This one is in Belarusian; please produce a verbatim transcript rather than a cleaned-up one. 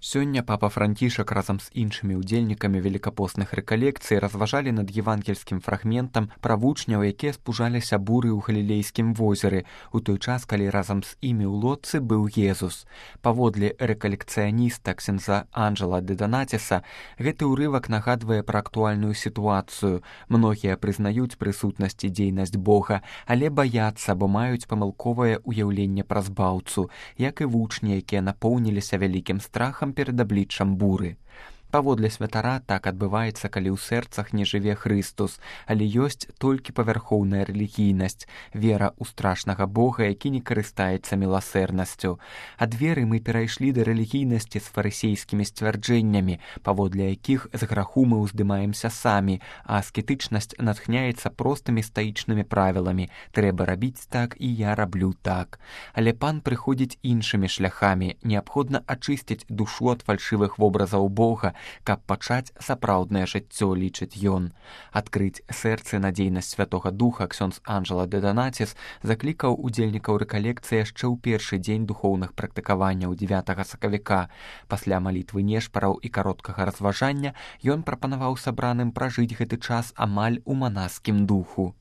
Сёння папа Францішак разам з іншымі ўдзельнікамі велікапостных рэкалекцый разважалі над евангельскім фрагментам пра вучняў, якія спужаліся буры ў Галілейскім возеры, у той час, калі разам з імі ў лодцы быў Езус. Паводле рэкалекцыяніста ксяндза Анджэла де Донатіса, гэты ўрывак нагадвае пра актуальную сітуацыю. Многія прызнаюць прысутнасць і дзейнасць Бога, але баяцца, бо маюць памылковае ўяўленне пра збаўцу, як і вучні, якія напоўніліся вялікім страхам перад абліччам буры. Паводле святара так адбываецца, калі ў сэрцах не жыве Хрыстус, але ёсць толькі павярхоўная рэлігійнасць, вера ў страшнага Бога, які не карыстаецца міласэрнасцю. Ад веры мы перайшлі да рэлігійнасці з фарысейскімі сцвярджэннямі, паводле якіх з граху мы ўздымаемся самі, а аскетычнасць натхняецца простымі стаічнымі правіламі. Трэба рабіць так, і я раблю так. Але пан прыходзіць іншымі шляхамі. Неабходна ачысціць душу ад фальшывых вобразаў Бога, каб пачаць сапраўднае жыццё, лічыць ён. Адкрыць сэрцы на дзейнасць Святога Духа ксёндз Анджэла де Донатіс заклікаў удзельнікаў рэкалекцыі яшчэ ў першы дзень духоўных практыкаванняў дзевятага сакавіка. Пасля малітвы нешпараў і кароткага разважання ён прапанаваў сабраным пражыць гэты час амаль у манаскім духу.